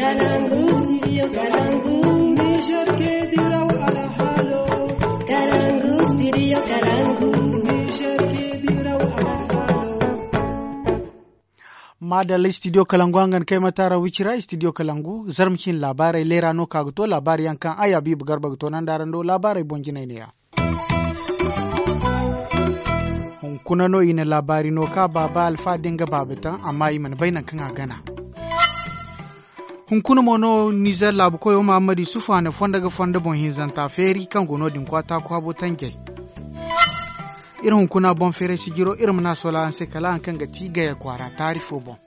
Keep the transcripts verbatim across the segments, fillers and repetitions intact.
Kalangu, studio Kalangu. Niger ke diraw alhalo. Kalangu, studio Kalangu. Niger ke diraw alhalo. Madalla, studio Kalangu hangan kay mata ra wicira, studio Kalangu, zarma cin laabaarey leera no ka ga to laabaari yaŋ kaŋ ay Habiibu Garba ga to nanda araŋ do laabaarey boŋ jinay neeya. Hunkuna no i na laabaari no ka baaba Alfa da nga baaba taŋ, amma i mana bay nangu kaŋ a gana. Hunkuna mo no Nizer laabu koyo Muhammad Yusuf a na fondo ga fondo boŋ hinzanta feeri kaŋ go no-din kwaata kwaabo tanjay. Iri hunkuna boŋ feeray sijiro iri ma na sola araŋ se kala haŋ kaŋ ga ti gaya kwaara taari fo boŋ.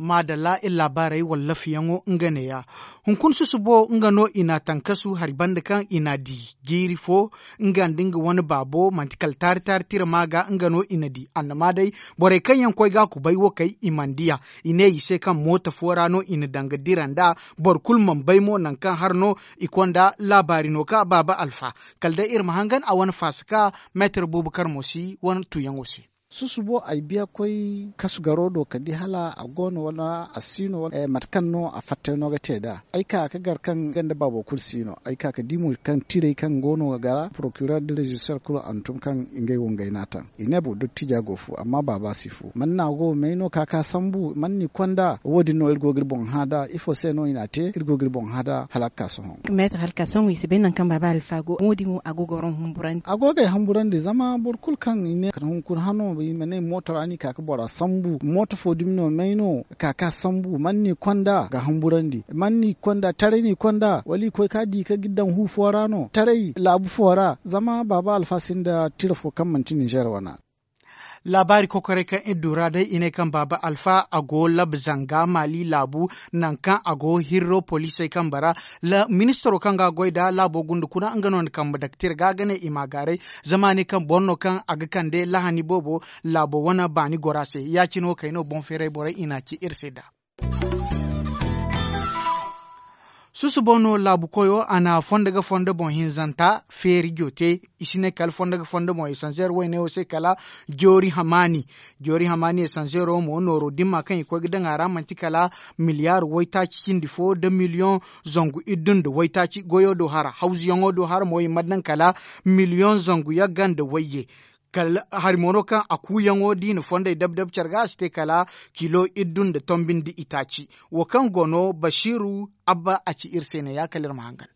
Maadalla iri laabaarey wallafyaŋo nga neeya. Hunkuna susubo nga no i na tankasu hari banda kaŋ i na di jiiri fo nga nda nga wane baabo manti kala taari taari tira ma ga nga no i na di annama day. Borey kaŋ yaŋ koy ga kubay wo kay i mana diya. I ne i se kaŋ mooto fo ra no i na danga dira nda boro kulu mana bay mo nangu kaŋ har no i konda laabaari no ka baaba alfa. Kala day iri ma hangan a wane faasaka meetar buubu kar mo si wane tuyaŋo se. Susubo ay biya koy kasu garo do ka di hala a go no wala a si no wala mate kaŋ no a fattay no ga te nd'a. Ay ka ga gar kaŋ nga nda baabo kulu si no ay ka ga di mo kaŋ tirey kaŋ go no ga gara porokiror da rezister kulu a na tun kaŋ ngey wo ngey n'a taŋ. I ne boro dottiija go fu amma baaba si fu man no a go may no ka ka sambu man no i konda wo- din no iri go ga iri boŋ hã nd'a ifo se no i n'a te iri go ga iri boŋ hã nd'a hala a ga ka sohõ. Meetar hala ka sohõ i si bay nangu kaŋ baaba alfa go mo- din mo a go ga waraŋ humburandi. A go ga ay humburandi zama boro kulu kaŋ i ne kala hunkuna hano i ma ne mooto ra no i ka ga bora sambu mooto fo dumi no may no ka ka sambu man no i konda ga humburandi man no i konda taray no i konda wala i koy ka di ka ga i daŋ hu fo ra no taray laabu fo ra zama baaba alfa sinda tira fo kaŋ manti ninzeer wana. Laabaari kokoray kaŋ iri du ra day i ne kaŋ baaba alfa a go labu zanga maali laabu nangu kaŋ a go hirro poliisey kambe ra. Ministiro kaŋ ga a goy nd'a laabo gunda kuna nga no na kambe dake tira ga ga ne i m'a gaaray. Zama a ne kaŋ boro no kaŋ a ga kande lahani boobo laabo wane baani gora se ya- cine wo kay no boŋ feeray borey i n'a ci iri se nd'a. Susubo no laabu koyo a na fondo ga fondo boŋ hinzanta feeri jote. I si ne kala fondo ga fondo boŋ esanzeer wayne wo se kala joori hamaani. Joori hamaani esanzeero mo nooro dimma kaŋ i koy ga daŋ a ra manti kala miliyaar waytaaci cindi fo nda miliyoŋ zangu iddu nda waytaaci goyo do hara hawzuyaŋo do hara mo i mana daŋ kala miliyoŋ zangu yagga nda wayye. Kala hari mo no kaŋ a kuuyaŋo da i na fondey dab-dab care ga a si te kala kilo iddu nda tombi nda itaaci. Wo kaŋ go no basiiru abba a ci iri se ne ya kala iri ma hangan.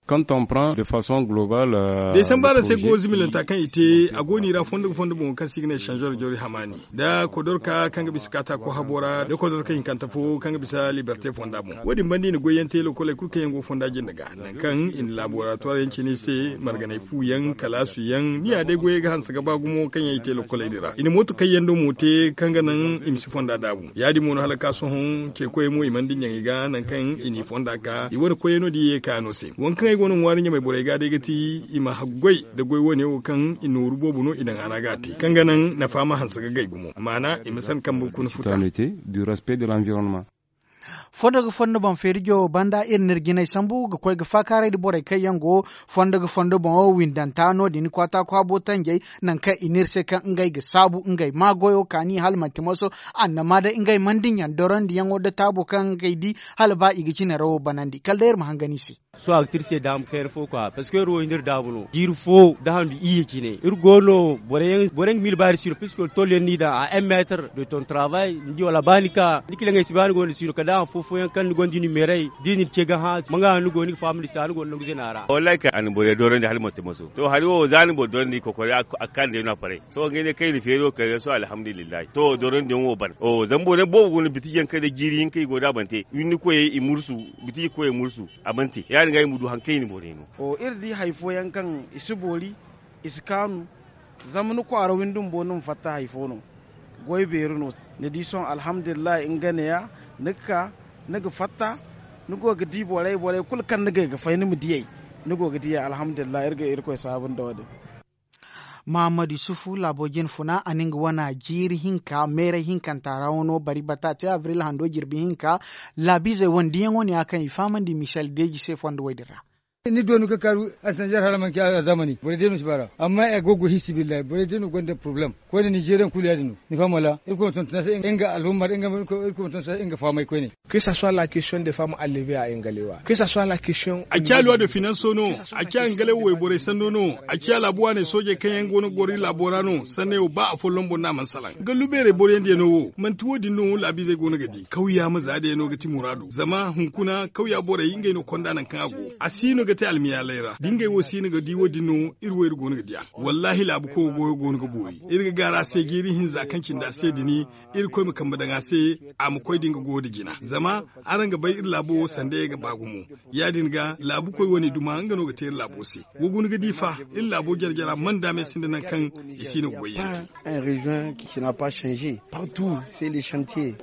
Quand on prend de façon globale. Day sambu araŋ se go zimilanta kaŋ i te a go no i ra fondo ga fondo boŋo kaŋ se i ga ne changeor joori hamaani nda kodorka kaŋ ga bisa kaataako habo ra nda kodorka hinkanta fo kaŋ ga bisa liberte fonda boŋ wo- din banda i na goyyaŋ te lokoley kulu kaŋ yaŋ go fonda jinde ga nangu kaŋ i na laboratowar yaŋ cine i se marganay fu yaŋ kalaasu yaŋ ni ya day goyey ga hanse ga ba gumo kaŋ yaŋ i te lokoley din ra i na mooto kayyando mo te kaŋ ga naŋ i ma si fonda daabu ya- din mo no hala ga ka sohõ ce koyey mo i mana dinya i ga nangu kaŋ i n'i fonda ka i wane koyey no da i ye ka no se waŋ kaŋ ay go no ŋwaari ɲamay borey ga day ga ti i ma haggoy nda goy wane wo kaŋ i nooru boobo no i daŋ a ra ga a te kaŋ ga naŋ nafa ma hanse ga gay gumo maana i ma san kambe kuna futa. Fondo ga fondo boŋ feeri jowo banda iri n'iri jinay sambu ga koy ga faakaaray nda borey kaŋ yaŋ go fondo ga fondo boŋo windanta no- din kwaata kwaabo tanjey nangu kaŋ i n'iri se kaŋ ngey ga saabu ngey maa goyo kaani hala manti moso annama day ngey mana dinya dorondiyaŋo nda taabo kaŋ ngey di hala ba i ga cine ra wo banandi kala day iri ma hangan i se. Sohõ a ga ti iri se daama kayna fo kwa parce que iri wo i n'iri daabu no jiiri fo nda handu iyye cine iri go no boro yaŋ ga miila ba iri si no puisque tolyaŋ no i daŋ a un metre de ton travail ni di wala ba ni ka ni kilaŋey si ba ni go no si no kala day afo fooyaŋ kaŋ ni gonda i numeerey da i na ni ce ga hã manga no ni go ni ga fahamandi se a ni go no nangu zina ra. Wallahi kay a na borey doorandi hala manti maso to hari wo za ni boro doorandi i kokori a ga kaanu day no a paray sohõ ngey ne kaŋ i na feeri wo kayna sohõ alhamdulillahi to doorandiyaŋ wo ban zama boro yaŋ boobo go no bitiji yaŋ kaŋ day jiiri hinka i go da a ban te wirni koyey i mursu bitiji koyey mursu a mana te ya- din ga i ma du hari kaŋ i na borey no. Iri di hari fooyaŋ kaŋ i si boori i si kaanu zama ni kwaara windi bumbo ni ma fatta hari fo no goy beeri no ni di sohõ alhamdulillahi nga neeya ni ga ka ni ga fatta ni go ga di borey borey kulu kaŋ ni gay ga fay ni ma diyey ni go ga diyey alhamdulillahi iri ga irkoy saabu nda wo- din. Mahammad yusufu laabo jine funa a na nga wana jiiri hinka meeray hinkanta ra wano bari bata te abril hando jirbi hinka laabiizey wane diyaŋo ne ya kaŋ i fahamandi michel deeji se fondo wo- din ra. Ni doonu ka kaaru a sanjar hala manci a zamani borey day no si baara amma a go go hisibillahi borey day no gonda poroblem. Koyne nizeriyaŋ kulu ya- din no ni faham wala? Irkoy ma tonton a se nga alhumma irkoy ma tonton a se nga fahamay koyne. Que ça soit la question de femme enlevée à engalewa que ça soit la question. A ciya luwa de finanso no. A ciya engalewa wayborey sanno no. A ciya laabu waaney soojey kaŋ yaŋ go no ga goro iri laabo ra no sanney wo ba afolloŋ boŋ no a mana salaŋ gallu beerey boroyaŋ diya no wo manti wo- din no laabiizey go no ga di kawya ma za day no ga ti muraadu zama hunkuna kawya borey ngey no konda nangu kaŋ a go. A si no ga te almiyaaley ra da ngey wo si no ga di wo- din no iri wo iri go no ga di a. Wallaahi laabu koy wo goyo go no ga boori. Iri ga gaara a se jiiri hinza kaŋ cindi a se din. Irkoy ma kambe daŋ a se a ma koy da nga goyo da jina zama araŋ ga bay iri laabo wo sanda ye ga ba gumo. Ya- din ga laabu koy wane duma nga no ga te iri laabo se. Wa guna ga di fa iri laabo jare jara man daame sinda nangu kaŋ i si no ga goy yaŋ te. Région qui n'a pas changé partout c'est le chantier.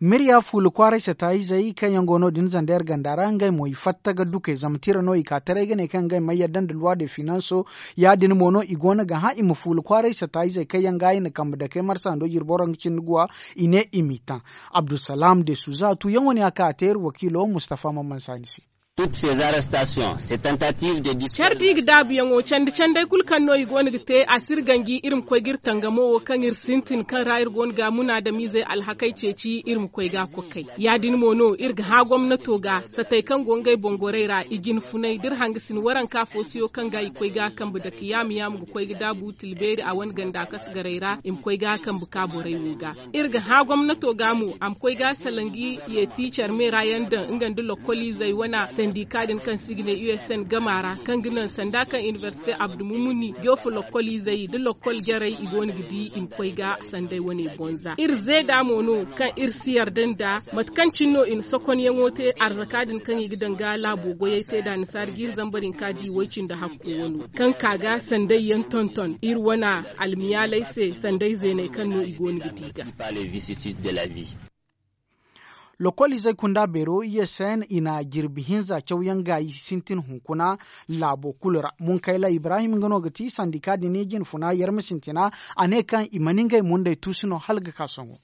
Mirya fuula kwaaray sataayizey kaŋ yaŋ go no- din zandeer ganda ra ngey mo i fatta ga duke zama tira no i ka taray ga ne kaŋ ngey ma yadda nda luwa de finanso. Ya- din mo no i go no ga hã i ma fuula kwaaray sataayizey kaŋ yaŋ ga i na kambe dakey marsa hando jirboro nga cindi guwa. I ne i m'i taŋ. Abdulsalam de suza tuuyaŋo ne a ka a te iri wakiilo mustafa mamman saani se. Care da i ga daabuyaŋo candi canday kulu kaŋ no i go no ga te a si iri ganji iri ma koy ga iri tangamo wo kaŋ iri sintin kaŋ ra iri go no ga munaadamiizey alhakey ceeci iri ma koy ga a kokay. Ya- din mo no iri ga hã gomnato ga satey kaŋ go ngey boŋ gorey ra i jine funay da iri hangasin waranka foosuyo kaŋ ga i koy ga a kambe dake yaama yaama ga koy ga daabu tilbeeri a wane ganda kasgarey ra i ma koy ga a kambe ka borey wo ga. Iri ga hã gomnato ga mo a ma koy ga a salanji yeeti care meera yaŋ daŋ nga nda lokkoliizey wana sandika din kaŋ se i ga ne usn gama ra kaŋ ga naŋ sanda kaŋ inibersite abdumumuni joofu lokkoliizey nda lokkol jarey i go no ga di i ma koy ga sanday wane bonza iri zeeda mo no kaŋ iri si yarda nda mate kaŋ cine no i na sokonyaŋo te arzaka din kaŋ i ga daŋ ga laabo goyey te da ni saari jiiri zambar hinka di way-cindi hakku wano kaŋ ka ga sanday yaŋ tonton iri wana almiyaaley se sanday zeeney kaŋ no i go no ga di ga. Lokoliizey kunda beero i ye seen i na jirbi hinza cawyaŋ gaayi sintin hunkuna laabo kulu ra munkayla ibrahim nga no ga ti sandika din jine funa yarma sintina a ne kaŋ i mana ngey mundey tuusu no hala ga ka sohõ.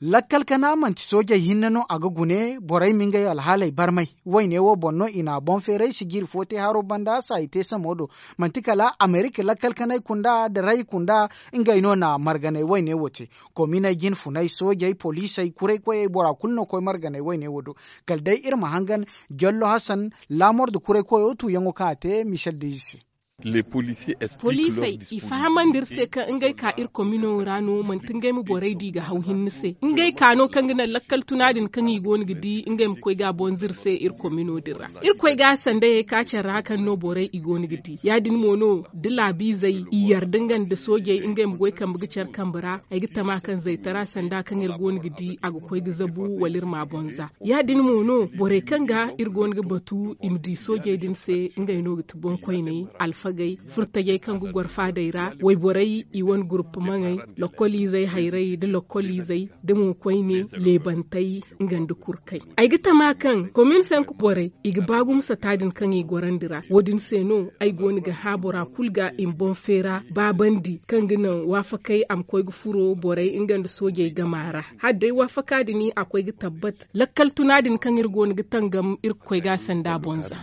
Lakkal kana manti soojey hinne no a ga gune borey ma ngey alhaaley barmay. Wayne wo boŋ no i na boŋ feeray sijiri fo te haro banda saayi te samo do. Manti kala amerika lakkal kanay kunda da ray kunda ngey no na marganay wayne wo te. Kominey jine funay soojey poliisey kuraykoyey bora kulu no koy marganay wayne wo do. Kala day iri ma hangan jollo hasan laamor da kuraykoyo tuuyaŋo kaŋ a te michel dezi se. Poliisey i fahamandi iri se kaŋ ngey ka iri komino ra no manti ngey ma borey di ga haw hinne se ngey ka no kaŋ ga naŋ lakkal tuna din kaŋ i go no ga di ngey ma koy ga a bonza iri se iri komino din ra. Iri koy ga a sandayey ka care ra kaŋ no borey i go no ga di ya- din mo no da laabiizey i yarda nga nda soojey ngey ma goy kambe ga care kambe ra. Ay ga tama kaŋ zaytara sanda kaŋ iri go no ga di a ga koy ga zabu wala iri ma a bonza. Ya- din mo no borey kaŋ ga iri go no ga batu i ma di soojey din se ngey no ga ti boŋkoyney, alfagey, furtajey kaŋ ga goro faadey ra, wayborey i wane gurupmaŋey, lokkoliizey hayray nda lokkoliizey, da mo koyne leebantey nga nda kurkey. Ay ga tama kaŋ komin senk borey i ga ba gumo sata din kaŋ i gorandi ra wo- din se no ay go no ga hã bora kulu ga i ma boŋ feera baabandi kaŋ ga naŋ waafakey a ma koy ga furo borey nga nda soojey gama ra. Hala day waafaka din a koy ga tabbat lakkal tuna din kaŋ iri go no ga tangam iri ga koy ga a sanda boŋ za.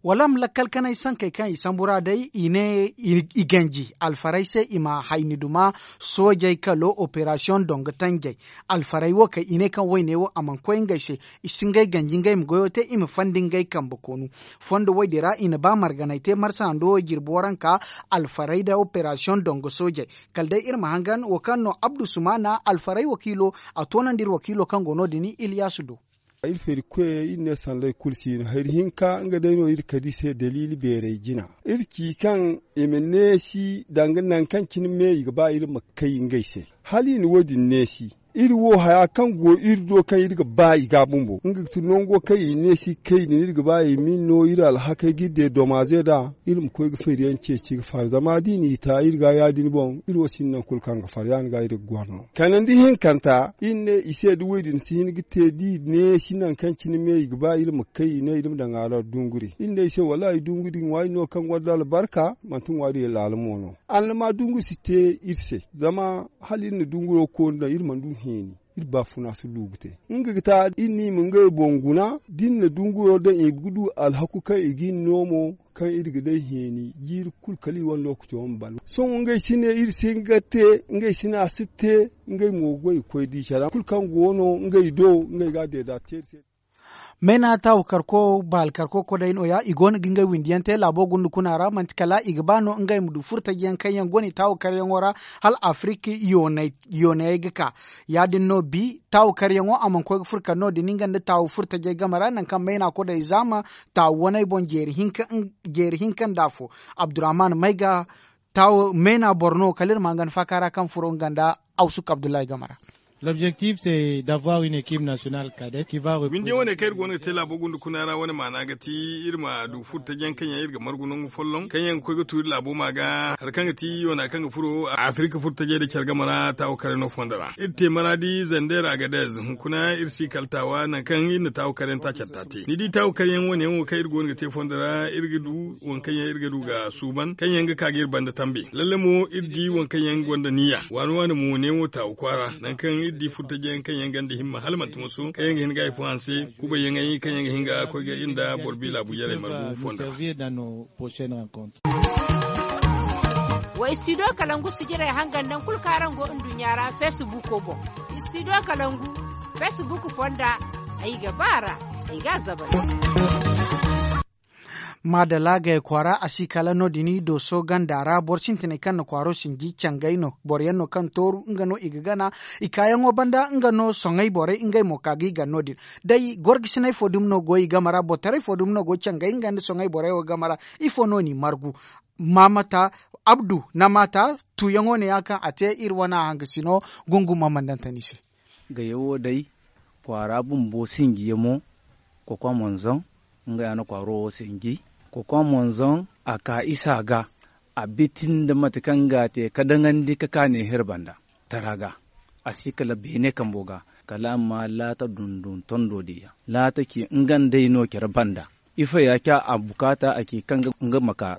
Wala ma lakkal kanay sankey kaŋ i sambu ra day i ne i ganji alfarey se i ma hayni duma soojey kalo operasiyoŋ dongo tanjey. Alfarey wo kay i ne kaŋ wayne wo a mana koy ngey se. I si ngey ganji ngey ma goyo te i ma fandi ngey kambe koonu. Fondo woy din ra i na ba marganay te marsa hando wo jirbi waranka alfarey da operasiyoŋ dongo soojey. Kala day iri ma hangan wo kaŋ no abdu sumana alfarey wakiilo a toonandi iri wakiilo kaŋ go no- din iliyasu do. Iri feeri koyey iri ne sanday kulu si no hari hinka nga day no iri kadi se daliili beeray jina. Iri ci kaŋ i ma neesi danga nangu kaŋ cine me i ga ba iri ma kay ngey se. Hala i na wo- din neesi iri wo haya kaŋ go iri do kaŋ iri ga ba i ga bumbo nga ga ti nango kaŋ i neesi kay din iri ga ba i ma no iri alhakey ga iri de domaze da. Iri ma koy ga feeriyaŋ ceeci ga far zama da i n'i ta iri ga ya- din boŋ iri wo sinda nangu kulu kaŋ ga far ya- din ga iri ga goro no. Kanandi hinkanta iri ne i se da woy din si hin ga te da i neesi nangu kaŋ cine me i ga ba iri ma kay i ne iri ma daŋ a ra dunguri iri ne i se wallaahi dunguri ŋwaari no kaŋ gonda albarka manti ŋwaari laala mo no. Annama dunguri si te iri se zama hala iri na dunguro koonu daŋ iri mana du heeni. Iri baafuna si du ga te nga ga ta iri no i ma ngey boŋ guna da iri na dunguyo daŋ i ga du alhaku kaŋ i ga iri no mo kaŋ iri ga day heeni jiiri kulu kala i wane lookaco ma balo sohõ ngey si ne iri si hin ga te ngey si ne a si te. Ngey mo ga goy ga koy di care kulu kaŋ go no ngey do ngey ga a deeda te iri se. Mayna taawu karko baali karko koday no- ya i go no ga ngey windi yaŋ te laabo gunda kuna ra manti kala i ga ba no ngey ma du furtaji yaŋ kaŋ yaŋ go no i taawu karyaŋo ra hala afirik yoonayey ga ka. Ya- din no bi taawu karyaŋo a mana koy ga furo kala no- din nga nda taawu furtajey game ra nangu kaŋ mayna koday zaama taawu waney boŋ jeeri hinka nda afo. Abdurrahman mayga taawu mayna boro no kala iri ma nga nda faaka ra kaŋ furo nga nda awsuk abdullahi game ra. L'objectif c'est d'avoir une équipe nationale cadette qui va représenter. Windi wane kaŋ iri go no ga te laabo gunda kuna ra wane maana ga ti iri ma du furo taji yaŋ kaŋ yaŋ iri ga margu nangu folloŋ kaŋ yaŋ ga koy ga tu iri laabo ma ga hari kaŋ ga ti wana kaŋ ga furo afirika furo tajey da care game ra taawo kare no fondo ra iri te maradi zander agadez hunkuna iri si kala taawa nangu kaŋ iri na taawo kare yaŋ ta care ta te ni di taawo kare yaŋ wane yaŋ wo kaŋ iri go no ga te fondo ra iri ga du waŋ kaŋ yaŋ iri ga du ga suuban kaŋ yaŋ ga ka ga iri banda tambe lalle mo iri di waŋ kaŋ yaŋ gonda niya waani waani mo neewo taawu kwaara nangu kaŋ iri di furtajiyaŋ kaŋ yaŋ ganda himma hala manti moso kaŋ yaŋ ga hin ga hari fo hanse kubayyaŋey kaŋ yaŋ ga hin ga koy ga iri nda boro bi laabu jarey margu fondo ra. Wa studio kalangu sijirey hangan nangu kulu kaŋ araŋ go nduɲɲa ra facebook boŋ. Studio kalangu facebook fonda ay ga ba ra ay ga a zabal. Maadalla gay kwaara a si kala no- din dooso ganda ra boro sintinay kaŋ na kwaaro sinji cangay no boro yaŋ no kaŋ tooru nga no i ga gana i kaayaŋo banda nga no soŋay borey ngey mo ka ga i gana no- din. Day gorgasinay fo dumi no go i game ra bortaray fo dumi no go cangay nga nda soŋay borey wo game ra? Ifo no n'i margu? Maamata abdu na maata tuuyaŋo ne ya kaŋ a te iri wane hangasino. Gungu ma mandante ni se. Gayo wo day kwaara bumbo sinji yaŋ mo. Kokwa monzon nga ya na kwaaro wo sinji. Kokwa monzon a ka isa ga a biti nda mate kaŋ ga a te ka daŋandi ka ka neeher banda tara ga. A si kala beene kambo ga kala a ma laata dundun tondo diya laata ci nga nd'ey no care banda. Ifo ya ci a bukaata a ci kaŋ nga ma ka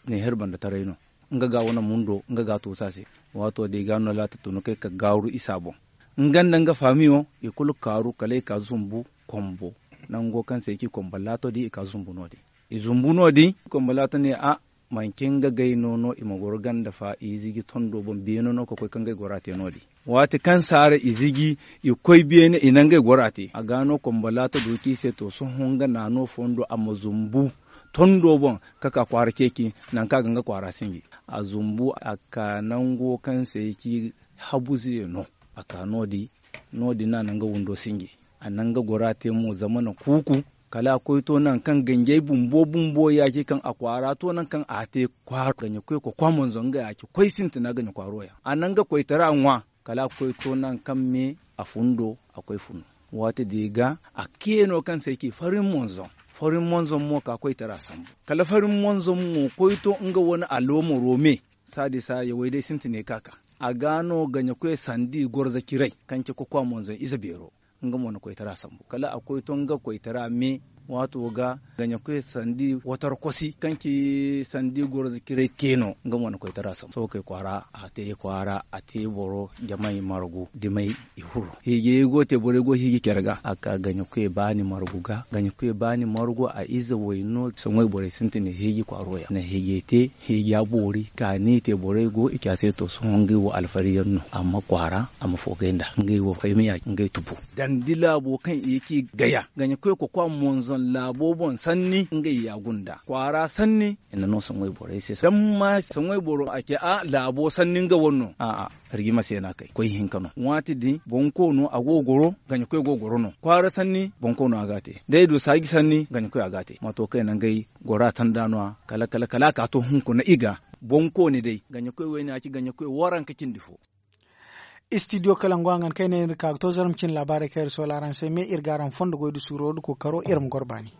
neeher banda taray no. Nga ga wane mundo nga ga a toosa se. Waato da i ga no laata tun kay ka gaaru isa boŋ nga nda nga faamiyo i kulu kaaru kala i ka zumbu kombo. Nango kaŋ se i ci kombo laato din i ka zumbu no- din i zumbu no- din kombo laato ne a manci nga gay no no i ma goro ganda fa i ziji tondo boŋ beene no ka koy ka ngey gora te no- din. Waati kaŋ saara i ziji i koy beene i na ngey gora te a ga no kombo laato du ci i se to sohõ nga naano fondo a ma zumbu tondo boŋ ka ka kwaara ceeci. Nangu kaŋ a ga nga kwaara sinji a zumbu a ka nango kaŋ se i ci habuze no. A ka no- din no- din no a na nga windo sinji a na nga gora te mo zama na kuuku. Kala a koy to nangu kaŋ ganjey bumbo bumbo ya ci kaŋ a kwaara to nangu kaŋ a te kwaara ganjey koy kokwa monzon nga ya ci koy sintina ganjey kwaaro ya a na nga koytara ŋwa. Kala a koy to nangu kaŋ me a fundo a koy funu. Waati din ga a keeno kaŋ se ay ci farin monzon farin monzon mo ka koytara sambu kala farin monzon mo koy to nga wane aloomaro me. Saadi saaya way day sintinay ka ka a ga no gaɲakoy sandi gorza ciray kaŋ ci kokwa monzon ize beero. Nga mo na koytara sambu kala a koy to nga koytara me waato ga gaɲakoy sandi watar kosi kaŋ ci sandi gorza ciray te no nga mo na koytara sambu sohõ kay kwaara a te kwaara a te boro jamay margu dimay i huru hiijey go te borey go hiiji care ga a ka gaɲakoy baani margu ga gaɲakoy baani margu a ize way no soŋay borey sintin hiiji kwaaro ya na hiijey te hiija boori kaani te borey go i ci a se to sohõ ngey wo alfari yaŋ no amma kwaara a ma foogay nda ngey wo fay ma ya ngey tubu dandi laabo kaŋ i ci gaya gaɲakoy kokwa monzon laabo boŋ sanni ngey ya gunda kwaara sanni i na no soŋay borey se damma soŋay boro a ce a laabo sanni nga wane no a'a. Rigima se no a kay koy hinka no waati din boŋ koono a go goro gaɲakoy go goro no kwaara sanni boŋ koono a ga a te da i du saaji sanni gaɲakoy a ga a te mato kaŋ i na ngey gora tanda no- ya kala kala kala a ka to hunkuna i ga boŋ kooni day gaɲakoy wayne a ci gaɲakoy waranka cindi fo. Istidiyo kala ngo a ŋan kaŋ ay ne iri ka ga to zarma cine laabaarey kaŋ iri soola araŋ se me iri ga araŋ fondo goy da suuro da kookaro iri ma goro baani.